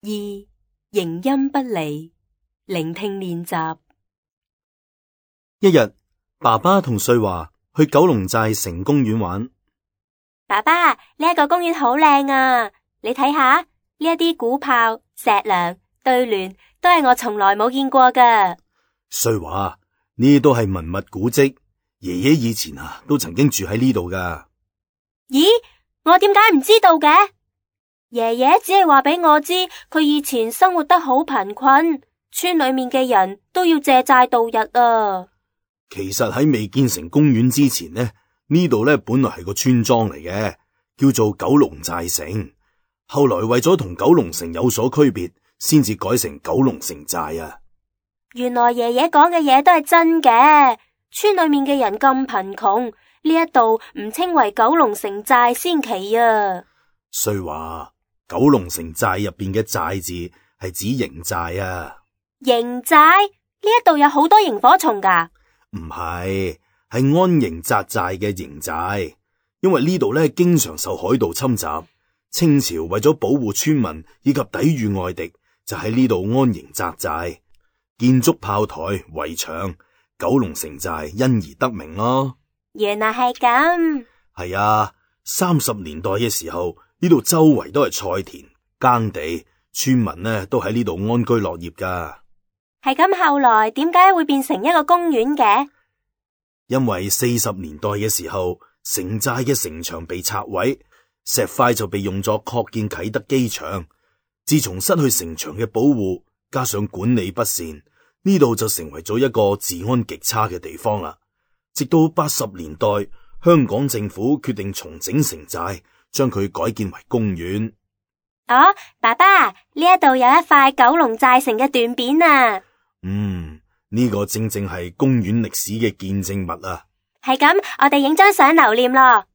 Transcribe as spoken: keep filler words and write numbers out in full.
二、形音不離，聆聽練習。一日，爸爸同瑞華去九龍寨城公園玩。爸爸，呢一個公園好靚啊！你睇下，呢一啲古炮、石樑、對聯，都係我從來冇見過噶。瑞華，呢都係文物古蹟，爺爺以前啊都曾經住喺呢度噶。咦，我點解唔知道嘅？爺爺只係話俾我知，佢以前生活得好貧困，村裏面嘅人都要借債度日啊。其實喺未建成公園之前呢，呢度呢本來係個村莊嚟嘅，叫做九龍寨城。後來為咗同九龍城有所區別，先至改成九龍城寨啊。原來爺爺講嘅嘢都係真嘅，村裏面嘅人咁貧窮，呢一度唔稱為九龍城寨先奇啊。瑞華，九龍城寨入邊嘅寨字係指營寨啊。營寨？呢一度有好多螢火蟲噶？唔係，係安營紮寨嘅營寨，因為呢度咧經常受海盜侵襲，清朝為咗保護村民以及抵禦外敵，就喺呢度安營紮寨，建築炮台、圍牆，九龍城寨因而得名咯。原來係咁。係啊，三十年代嘅時候，呢度周圍都係菜田耕地，村民呢都喺呢度安居樂業噶。係咁，後來點解會變成一個公園嘅？因為四十年代嘅時候，城寨嘅城牆被拆毀，石塊就被用作擴建啟德機場。自從失去城牆嘅保護，加上管理不善，呢度就成為咗一個治安極差嘅地方啦。直到八十年代，香港政府決定重整城寨，將佢改建為公園。哦，爸爸，呢一度有一塊九龍寨城嘅斷片啊！嗯，呢個正正係公園歷史嘅見證物啊！係咁，我哋影張相留念咯。